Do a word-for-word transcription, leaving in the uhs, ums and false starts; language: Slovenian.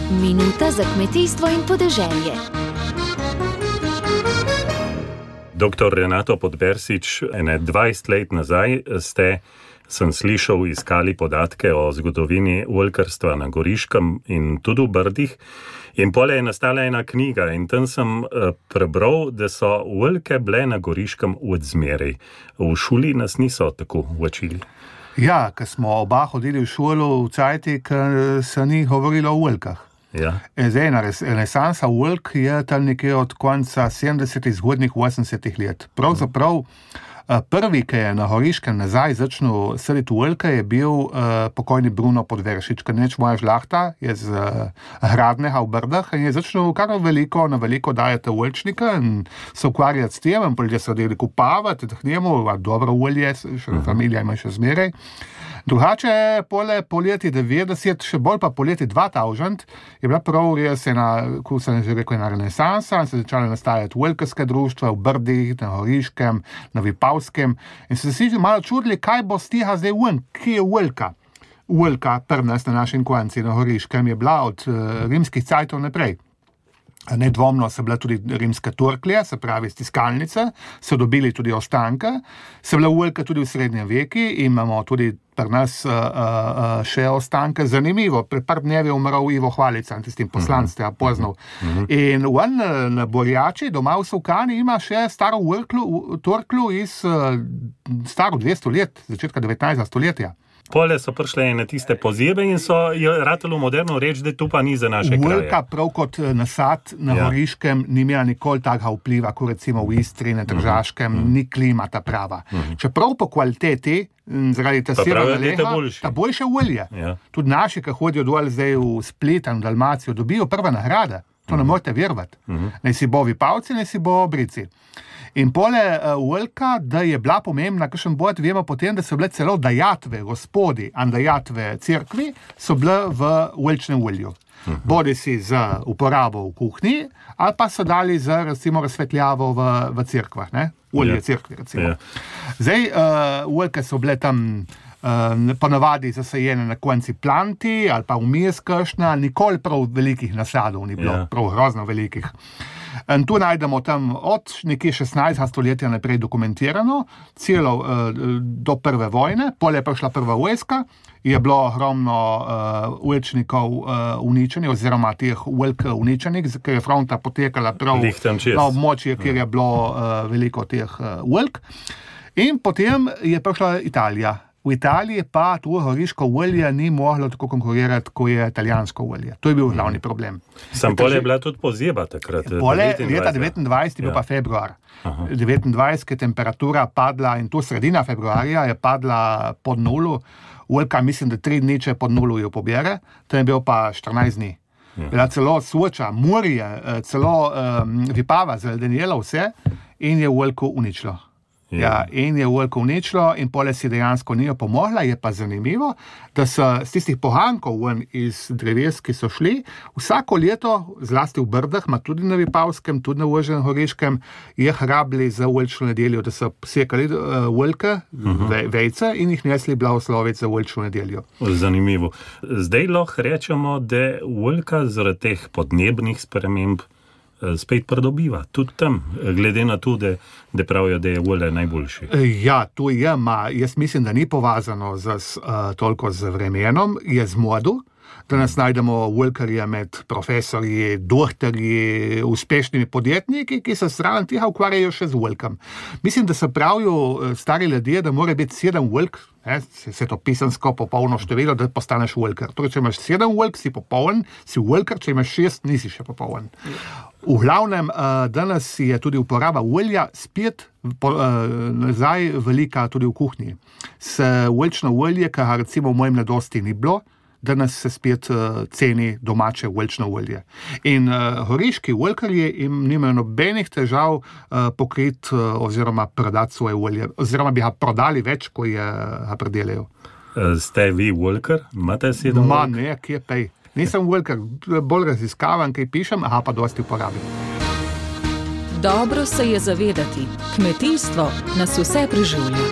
Minuta za kmetijstvo in podeželje. Doktor Renato Podbersič, ene dvajset let nazaj ste, sem slišal, iskali podatke o zgodovini oljkarstva na Goriškem in tudi v Brdih. In pole je nastala ena knjiga in tam sem uh, prebral, da so oljke bile na Goriškem od zmeraj. V šoli nas niso tako učili. Ja, ko smo oba hodili v šolo v cajti, ko se ni govorilo o oljkah. Ja. Zdaj, renesansa oljk je tam nekje od konca sedemdesetih, zgodnjih osemdesetih let. Pravzaprav prvi, ki je na Goriškem nazaj začel saditi oljke, je bil uh, pokojni Bruno Podbersič, ker neč moja žlahta je z uh, Hradneha v Brdah in je začel kar veliko, na veliko dajati oljčnika in se ukvarjati s tem, in ljudje so delili kupavati, da njemu, a dobro olje, še uh-huh. familija ima še zmeraj. Drugače, pole po leti devetdeset, še bolj pa po leti dva tisoč, je bila prav res ena, kot sem že rekel, ena renesansa in se začala nastajati oljkarska društva v Brdih, na Goriškem, na Vipavskem in se si malo čudili, kaj bo stiha zdaj ven, kje je oljka. Oljka, pri nas na našem konci na Goriškem, je bila od uh, rimskih cajtov naprej. Nedvomno so bile tudi rimske torklje, se pravi stiskalnice, so dobili tudi ostanke, so bile oljke tudi v srednjem veki in imamo tudi pri nas uh, uh, še ostanke. Zanimivo, pred par dnevi je umrl Ivo Hvalica, tistim poslanstvom, uh-huh. poznal. Uh-huh. In on na Borjači, doma v Sovkani, ima še staro oljklu, torklu iz uh, staro dvesto let, začetka devetnajstega stoletja. Pole so prišle na tiste pozebe in so ratalo moderno reči, da tu pa ni za naše kraje. Oljka prav kot nasad na ja. Goriškem ni imela nikoli takega vpliva, kot recimo v Istri, na Tržaškem, uh-huh. ni klima ta prava. Uh-huh. Čeprav po kvaliteti, zaradi ta severnega leha, ta boljše olje. Ja. Tudi naši, ki hodijo dol zdaj v Split in Dalmacijo, dobijo prve nagrade. To uh-huh. ne morete verovati. Uh-huh. Naj si bo Vipavci, naj si bo Brici. In pole uh, oljka, da je bila pomembna, kakšen bod, vemo potem, da so bile celo dajatve gospodi in dajatve cerkvi, so bile v oljčnem olju. Uh-huh. Bodi si za uporabo v kuhinji, ali pa so dali za, recimo, razsvetljavo v, v cerkvah, ne? Olje yeah. cerkvi, recimo. Yeah. Zdaj, uh, oljke so bile tam uh, ponavadi zasajene na konci planti, ali pa vmes kakšna, nikoli prav velikih nasadov ni bilo, yeah. prav grozno velikih. In tu najdemo tam od nekje šestnajstega stoletja naprej dokumentirano, celo uh, do prve vojne, pol je prišla prva vojska, je bilo ogromno uh, oljčnikov uh, uničenih, oziroma teh oljk uničenih, ker je fronta potekala prav na območje, kjer je bilo uh, veliko teh uh, oljk. In potem je prišla Italija. V Italiji pa tu goriško olje ni moglo tako konkurirati, kot je italijansko olje. To je bil glavni problem. Sam pole je bila tudi pozeba takrat. Pole leta devetindvajset je bil ja. pa februar. Aha. devetindvajset je temperatura padla in to sredina februarja je padla pod nulu. Oljka mislim, da tri dni, če pod nulu jo pobere, to je bil pa štirinajst dni. Ja. Bila celo Soča, morje, celo um, Vipava zaledenjela vse in je oljko uničilo. Ja. Ja, in je oljko uničilo in pole si dejansko ni jo pomogla. Je pa zanimivo, da so z tistih pohankov ven iz dreves, ki so šli, vsako leto, zlasti v Brdah, ma tudi na Vipavskem, tudi na Ožnem Goriškem, je hrabili za oljčno nedeljo, da so sekali uh, oljke, uh-huh. ve, vejce in jih nesli blagosloviti za oljčno nedeljo. Zanimivo. Zdaj lahko rečemo, da oljka zaradi teh podnebnih sprememb spet pridobiva, tudi tam, glede na to, da, da pravijo, da je olje najboljši. Ja, to je, ma, jaz mislim, da ni povezano z, uh, toliko z vremenom, je z modo. Danes najdemo oljkarje med profesorji, doktorji, uspešnimi podjetniki, ki se stran tega ukvarjajo še z oljkom. Mislim, da se pravijo stari ljudje, da mora biti sedem oljk, ne, se to pisansko popolno število, da postaneš oljkar. Torej, če imaš sedem oljk, si popoln, si oljkar, če imaš šest, nisi še popoln. V glavnem, danes je tudi uporaba olja spet po, nazaj velika tudi v kuhinji. S oljčno olje, kar recimo v mojem mladosti ni bilo, danes se spet uh, ceni domače oljčno olje. In uh, goriški oljkarji jim nimajo nobenih težav uh, pokriti uh, oziroma prodati svoje olje, oziroma bi ga prodali več, ko je ga predelajo. Ste vi oljkar? Imate sedem oljk? Ma ne, kje pej. Nisem oljkar, bolj raziskavam, kaj pišem, aha pa dosti uporabim. Dobro se je zavedati, kmetijstvo nas vse preživlja.